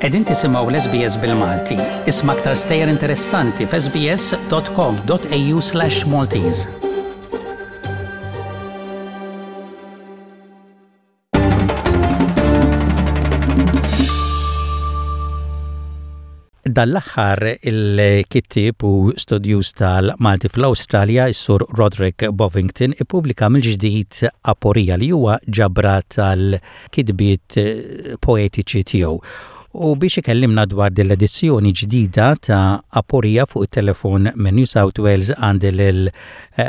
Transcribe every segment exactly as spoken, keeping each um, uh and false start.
Qegħdin tisimgħu l-S B S bil-Malti. Isma' aktar stejjer interessanti f'S B S dot com dot A U slash Maltese. Dan l-aħħar, il-kittib u studjuż tal-Malti fl-Awstralja, is-Sur Roderick Bovington, ippubblika mill-ġdid Aporija, li huwa ġabra tal-kitbiet poetiċi tiegħu. U biex ikellimna dwar din l-edizzjoni ġdida ta' Aporija, fuq it-telefon minn New South Wales għandi lil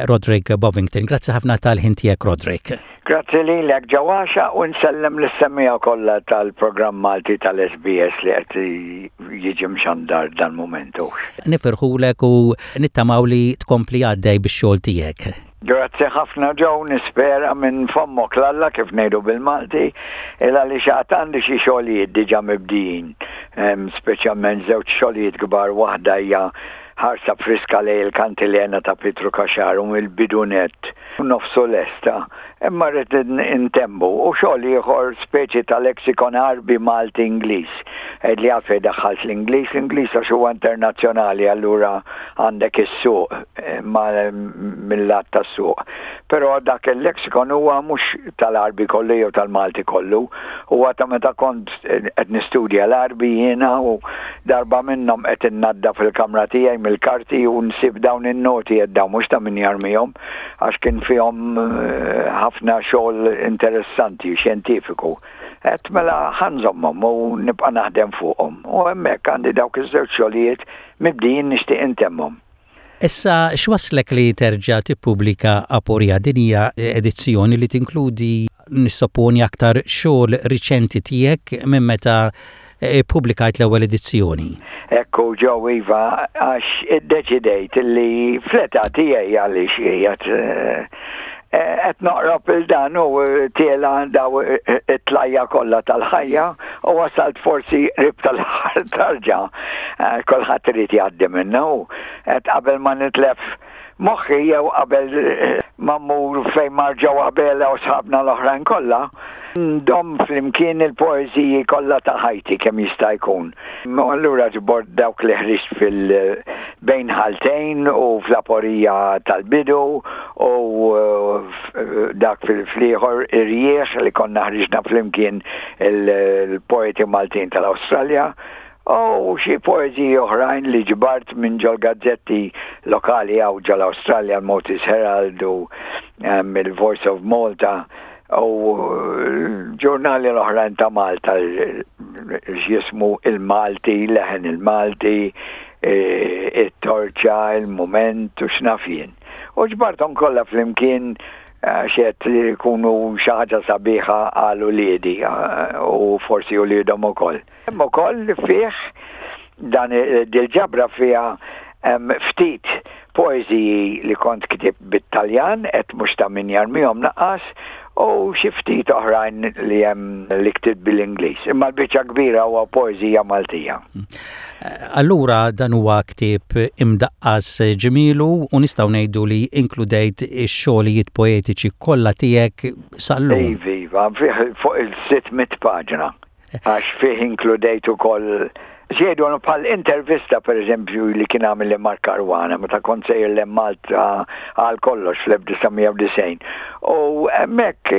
Roderick Bovington. Grazzi ħafna tal-ħin tiegħek, Roderick. Grazzi lilek, Ġawaxa, u nsellem lis-semmiegħa kollha tal-programm Malti tal-S B S li qed jiġi mxandar dan momentu. Nifirħulek u nittamaw li tkompli għaddej bix-xogħol tiegħek. Grazzi ħafna, Joe, nispera minn fommok 'l Alla, kif ngħidu bil-Malti, illa li xaqt għandi xi xogħlijiet diġà mibdijin, speċjalment żewġ xogħlijiet kbar. Waħda hija ħarsa friska lejn il-Kantilena ta' Pietru Caxar u mill-bidu nett nofsu lesta, imma rrid intemmu, u xogħol ieħor, speċi ta' lexikon Għarbi Malti Ingliż. Li għalfejn daħħalt l-Ingliż, l-Ingliż għax huwa internazzjonali, allura għandek is-suq ma mill-lat tas-suq. Però dak il-lexikon huwa mhux tal-Għarbi kollu jew tal-Malti kollu, huwa ta' meta kont qed nistudja l-Għarbi jiena, u darba minnhom qed innadda fil-kamra tiegħi mill-karti u nsib dawn in-noti, qed dawn mhux ta' min jarmihom, għax kien fihom ħafna xogħol interessanti, xjentifiku. Għedt mela ħa nżommhom u nibqa' naħdem fuqhom. U hemmhekk għandi dawk iż-żewġ xogħlijiet mibdijin, nixtieq intemmhom. Issa, x'waslek li terġa' tippubblika Aporija? Din hija edizzjoni li tinkludi, nissopponi, aktar xogħol riċenti tiegħek minn meta ppubblikajt l-ewwel edizzjoni. Ekku, Joe, iva, għax iddeċidejt li fl-età tiegħi, għaliex qiegħed qed noqrob il dan u tiela' daw it-tlajja kollha tal-ħajja u wasalt forsi qrib tal-aħħar tarġa. Kulħadd irid jgħaddi minna, u qed qabel ma nitlef moħħi jew qabel ma mmur fejn mar Joe Abela u sħabna l-oħrajn kollha, ndomm flimkien il-poeżiji kollha ta' ħajti kemm jista' jkun. Allura ġbort dawk li ħriġt fil-Bejn Ħaltejn u fl-Aporija tal-bidu u dak fil-fliħor Irjieħ li konna ħriġna flimkien il-poeti Maltin tal-Awstralja u xi poeżiji oħrajn li ġbart minn ġol gazzetti lokali hawn ġol-Awstralja, l-Maltese Herald u il-Voice of Malta u ġurnali l-oħrajn ta' Malta, x'jismu, Il-Malti, Leħen il-Malti, it-Torċa, Il-Moment u x'naf jien. U ġbarthom kollha flimkien għax jkunu xi ħaġa sabiħa għal uliedi u forsi uliedhom ukoll. Hemm ukoll fih dan dil-ġabra fiha ftit poeżiji li kont ktibt bit-Taljan, et mhux ta' min jarmihom lanqas, u xi ftit oħrajn li hemm li ktibt bil-Ingliż. Imma l-biċċa kbira huwa poeżija Maltija. Allura dan huwa ktieb imdaqqas ġmielu u nistgħu ngħidu li inkludejt ix-xogħlijiet poetiċi kollha tiegħek sal-lum. Iva, fih fuq il-sitt mitt paġna. Għax fih inkludejt ukoll x'jgħidu bħal intervista, per eżempju, li kien għamilli Mark Caruana meta kont sejjer 'l Malta għal kollox fl-elf disa' mija u disgħin. U hemmhekk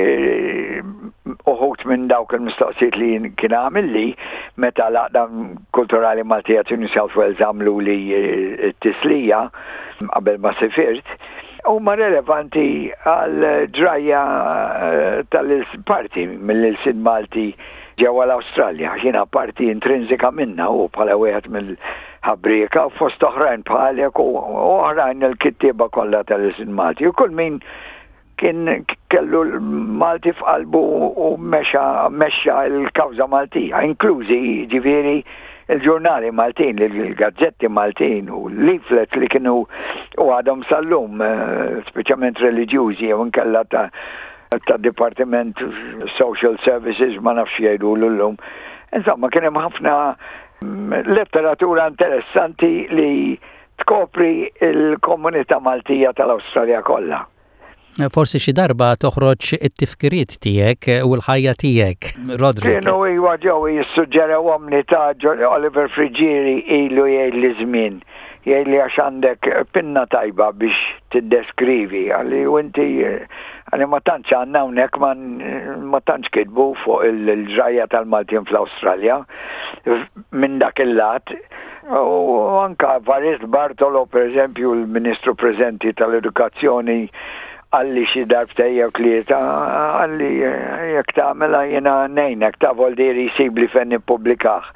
uħud minn dawk il-mistoqsijiet li kien għamilli meta l-Għaqda Kulturali Maltija ta' New South Wales għamlu li t-tislija qabel ma sifirt, huma relevanti għal ġrajja tal-parti mill-ilsien Malti ġewwa l-Awstralja. Jiena parti intrinsika minna u bħala wieħed mill-ħabrieka u fost oħrajn bħalek u oħrajn, il-kittieba kollha tal-ilsien Malti. U kull min kien kellu l-Malti f'qalbu u mexa mexxa l-kawża Maltija, inklużi ġifieri il-ġurnali Maltin, il-gazzetti Maltin u l-leaflets li kienu u għadhom sal-lum, speċjalment reliġjużi jew inkella ta' ta' Department Social Services, ma nafx jgħidu l-lum. Insomma, kien hemm ħafna letteratura interessanti li tkopri il-komunità Maltija tal-Awstralja kollha. Forsi xi darba toħroġ it-tifkiriet tiegħek u l-ħajja tiegħek, Roderick. Kienu iwa ġew jissuġġerewhom li ta' Oliver Friggieri ilu jgħid li żmien. Jgħid li għax għandek pinna tajba biex tiddeskrivi, qalli u inti qalli ma tantx għandna hawnhekk ma tantx kitbu fuq il-ġrajja tal-Maltin fl-Awstralja minn dak il-lat. U anka Evarist Bartolo, per eżempju, l-Ministru preżenti tal-Edukazzjoni, qalli xi darbtejn jew tlieta, qalli jekk tagħmilha jiena ngħinek ta' voldieri jsibli fejn nippubblikah.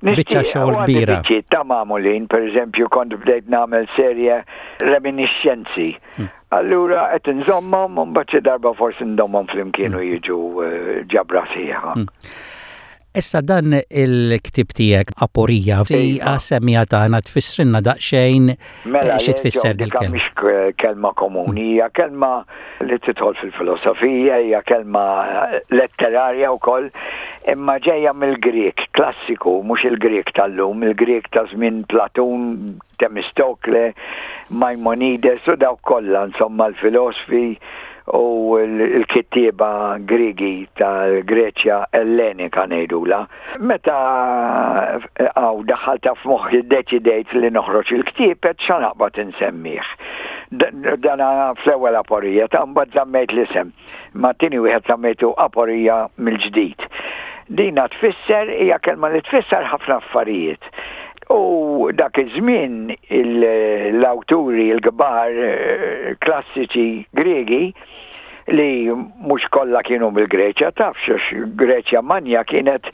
Biċċa xogħol kbira. Biċċiet ta' magħmulin, per eżempju, kont bdejt nagħmel serje reminiscenzi. Hmm. Allura qed inżommhom u mbagħad xi darba forsi ndommhom flimkien u jiġu eh, ġabra sħiħa. Hmm. Issa dan il-ktib tiegħek Aporija, iva. Għas-semmiegħa tagħna tfissrilna daqsxejn mela, xi tfisser dil-kelma. Mhix kelma komuni, hija kelma li tidħol fil-filosofija, hija kelma letterarja wkoll, imma ġejja mill-Grek klassiku, mhux il-Grek tal-lum, il-Grek ta' żmien Platun, Temistokle, Maimonides u dawk kollha, insomma l-filosfi u l-kittieba Griegi tal-Greċja Ellenika ngħidula. Meta għaw daħħalta f'moħħi deċidejt li noħroġ il-ktieb qed xa naqbad insemmih. Dana fl-ewwel Aporija ta' mbagħad żammejt l-isem. Ma tieni wieħed żammejtu Aporija mill-ġdid. Dina tfisser hija kelma li tfisser ħafna affarijiet. U dak iż-żmien l-awturi l-kbar eh, klassiċi Gregi li mhux kollha kienu mill-Greċja, tafx għax Greċja Manja kienet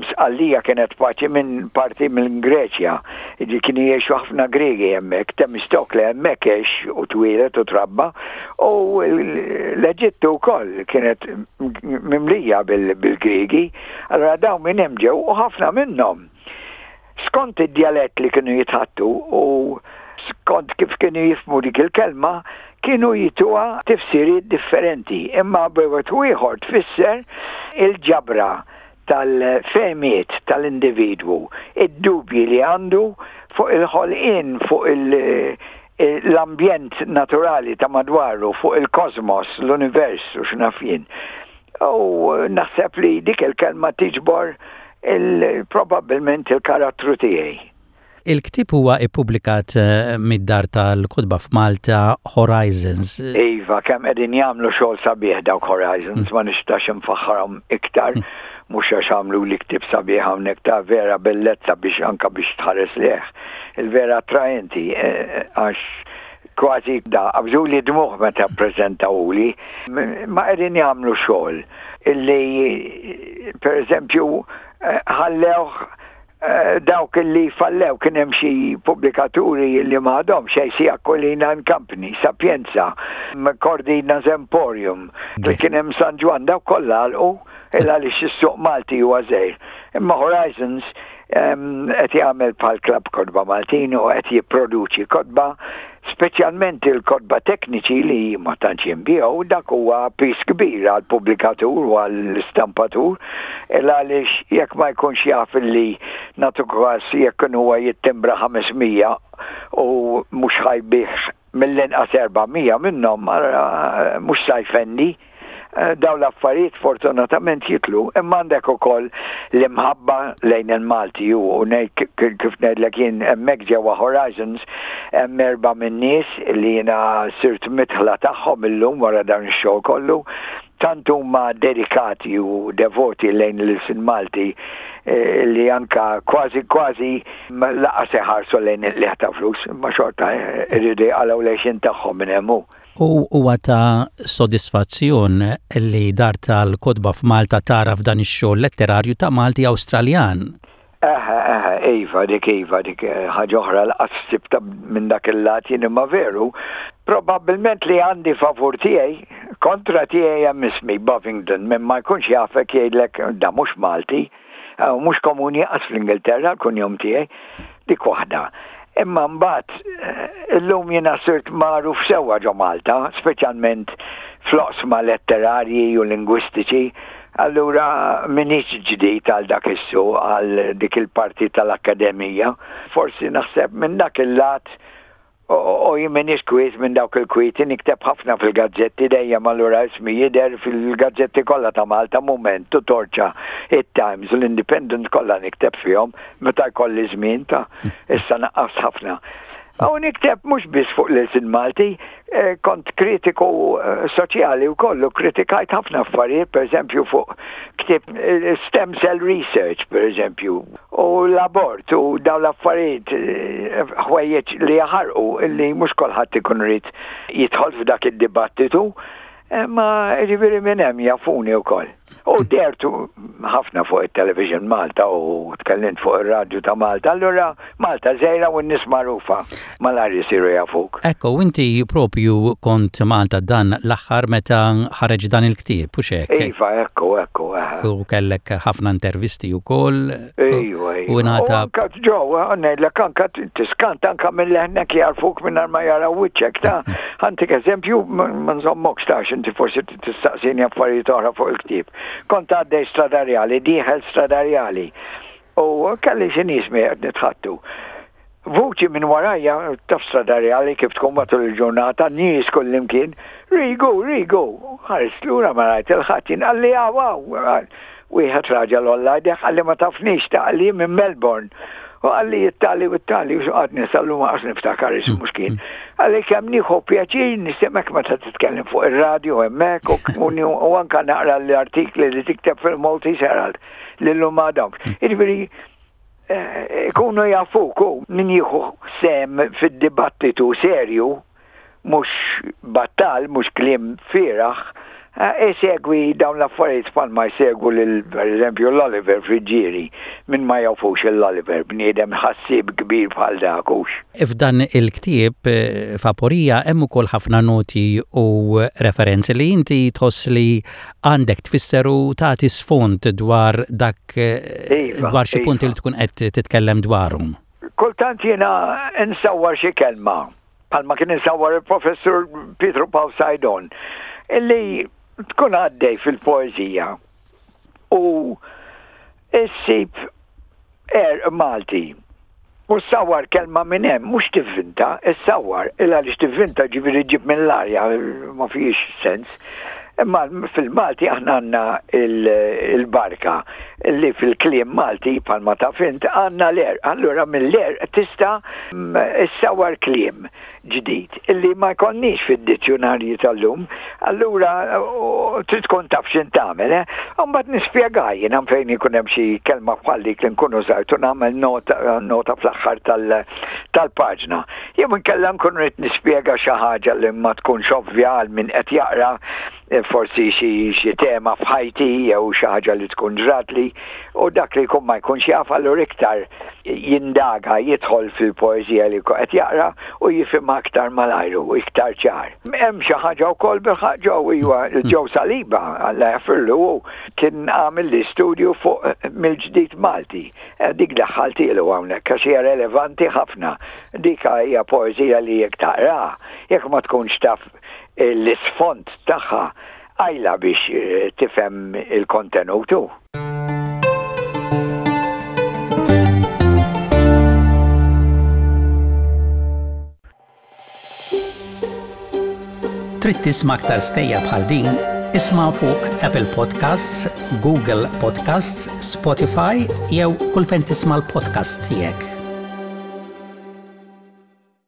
Sqallija kienet parti minn parti minn Greċja. Ġi kienu jgħixu ħafna Gregi hemmhekk, Temistokle hemmhekk għex u twieled u trabba, u l-Eġittu wkoll kienet mimlija bil-Gregi. Allora dawn minn hemm ġew u ħafna minnhom skont id-djalett li kienu jitħattu u skont kif kienu jifhmu dik il-kelma, kienu jtuha tifsiriet differenti. Imma b'wieħed u ieħor tfisser il-ġabra tal-fehmiet tal-individwu, id-dubji li għandu fuq il-ħolqien, fuq l-ambjent naturali ta' madwaru, fuq il-kosmos, l-univers u x'naf jien. U naħseb li dik il-kelma tiġbor il-probabbilment il-karattru tiegħi. Il-ktib huwa ippubblikat eh, mid-dar tal-kotba f'Malta Horizons. Iva, kemm qegħdin jagħmlu xogħol sabiħ dawk Horizons, ma nistax infaħħarhom iktar, mhux għax għamlu li ktib sabiħ hawnhekk ta' vera bellezza biex anka biex tħares lejh. Il-vera attraenti eh, għax kważi da qabżu li dmuħ meta ppreżentawli, ma qegħdin jagħmlu xogħol illi per eżempju eh, ħallewh eh, dawk li fallew kien hemm xi pubblikaturi li m'għadhom xejn si Aquilina and Company, Sapienza, Cordina Emporium, li kien hemm San Ġwann dawk kollha għalqu il għaliex is-suq Malti huwa żgħir. Imma Horizons qed jagħmel bħal klabb kotba Maltin u qed jipproduċi kotba speċjalment il-kotba tekniċi li ma tantx jinbiegħu dak huwa piż kbir għal pubblikatur u għall-istampatur il għaliex jekk ma jkunx jaf li nagħtu każ jekk huwa jittimbra ħames mija u mhux ħa jbigħ mill-inqas erba' mija minnhom mhux sa jfendi. Eh, daw l-affarijiet fortunatament jitlu, imma għandek ukoll l-imħabba lejn il-Malti u ngħid kif ngħidlek jien hemmhekk ġewwa Horizons hemm erba' min-nies li jiena sirt midħla tagħhom illum wara dan ix-xogħol kollu tant huma dedikati u devoti lejn l-ilsien Malti eh, li anka kważi kważi lanqas iħarsu lejn il ta' flus, imma xorta eh, irridu jaqalgħu l-għixien tagħhom minn hemm. U huwa ta' sodisfazzjon li dar tal-kotba f'Malta tara f'dan ix-xogħol letterarju ta' Malti Awstraljan. Eħe, eħe, iva, dik iva, dik eh, ħaġa oħra lanqas ħsibtha minn dak il-lat jien imma veru. Probabbilment li għandi favur tiegħi, kontra tiegħi hemm ismi Bovingdon, minn ma jkunx jafek jgħidlek da mhux Malti, eh, mhux komuni qas fl-Ingilterra l-kunjom tiegħi, dik waħda. Imma mbagħad eh, illum jiena sirt magħruf sewwa ġo Malta, speċjalment fl-oqsma letterarji u lingwistiċi, allura m'iniex ġdid għal dak issu, għal dik il-parti tal-akkademija. Forsi naħseb minn dak il-lat U jien m'iniex kwiet minn dawk il-kwieti, nikteb ħafna fil-gazzetti dejjem, allura ismi jidher fil-gazzetti kollha ta' Malta, Mument, Torċa, it-Times, l-Independent, kollha nikteb fihom meta jkolli żmien ta', issa naqqas ħafna. U nikteb mhux biss fuq l-ilsien Malti, eh, kont kritiku eh, soċjali u kollu, kritikajt ħafna affarijiet, per eżempju fuq ktieb eh, stem cell research, per eżempju, u l-abort u dawn l-affarijiet, ħwejjeġ li jaħarqu, illi mhux kulħadd ikun irid jidħol f'dak id-dibattitu, ma ġifieri minn hemm jafuni wkoll. U dhertu ħafna fuq il-television Malta u tkellimt fuq il-radju ta' Malta. Allura Malta żgħira u n-nies magħrufa malajr jisiru jafuk. Ekku, inti propju kont Malta dan l-aħħar meta ħareġ dan il-ktieb, u hekk? Iva, ekku, ekku. U kellek ħafna intervisti u koll. Iva, iva. U nata. Anka ġo, ngħidlek anka tiskanta anka minn leħnek jarfuk minn ma jaraw wiċċek ta'. Ħa ntik eżempju, ma nżommokx ta', inti forsi tistaqsini affarijiet oħra fuq il-ktieb. Kont għaddej Strada Rjali, dieħel Strada Rjali. U kelli xi nies qed nitħaddtu. Vuċi minn warajja, taf Strada Rjali kif tkun matul il-ġurnata, nies kullimkien, "Rigu, Rigu," ħarist lura ma rajt 'il ħadd, qalli "Aw, aw," wieħed raġel għolla jdejh, qalli "Ma tafnix ta'," qalli "minn Melbourne. U qalli it-tali u t-tali, u għadni sal-lum għax niftakar ismu x'kien. Qalli "Kemm nieħu pjaċir nismgħek meta titkellem fuq il-radio hemmhekk u anka naqra l-artikli li tikteb fil-Maltese Herald li llum għadhom." Jiġifieri eh, ikunu jafuk u min jieħu sehem fid-dibattitu serju, mhux battal, mhux kliem fieragħ, isegwi dawn l-affarijiet bħalma jsegwu lil, per eżempju, l-Oliver Friggieri, min ma jafux l-Oliver, bniedem ħassib kbir bħal dak hux. F'dan il-ktieb eh, f'Aporija hemm ukoll ħafna noti u referenzi li inti tħoss li għandek tfisser u tagħti sfond dwar dak eh, iva, dwar xi punti iva. li tkun qed titkellem dwarhom. Kultant jiena nsawwar xi kelma, bħalma kien insawwar il-professur Pietru Pawl Saydon, illi tkun għaddej fil-poezija u issib għerq Malti u ssawwar kelma minn hemm, mhux tivvinta, issawwar, illa għaliex tivvinta ġifieri ġib mill-arja, ma fihx sens. Imma fil-Malti aħna għandna il-barka li fil-kliem Malti bħalma taf int għandna l-għerq. Allura mill-għerq tista' issawwar kliem ġdid illi ma jkollniex fid-dizzjonarji tal-lum. Allura trid tkun taf x'int tagħmel, eh? Mbagħad nispjega jiena fejn ikun hemm xi kelma bħal dik li nkunu użajtu, nagħmel nota, nota fl-aħħar tal-paġna. Jew inkella nkun rrid nispjega xi ħaġa li ma tkunx ovvja għal min qed jaqra, eh, forsi xi tema f'ħajti jew xi ħaġa li tkun ġratli u dak li jkun ma jkunx jaf, allura iktar jindaga, jidħol fil-poeżija li qed jaqra u jifhem aktar malajr u iktar ċar. Hemm xi ħaġa wkoll bil-ħaġa iwa, Joe Saliba, Alla jaħfirlu, kien għamel li studju fuq mill-ġdid Malti. Eh, dik daħħaltilu hawnhekk għax hija relevanti ħafna. Dik hija poeżija li jekk taqra, jekk ma tkunx taf l-isfond tagħha, għajla biex eh, tifhem il-kontenutu. Trid tisma' aktar stejjer bħal din? Isma' fuq Apple Podcasts, Google Podcasts, Spotify jew kull fejn tisma' l-podcast tiegħek.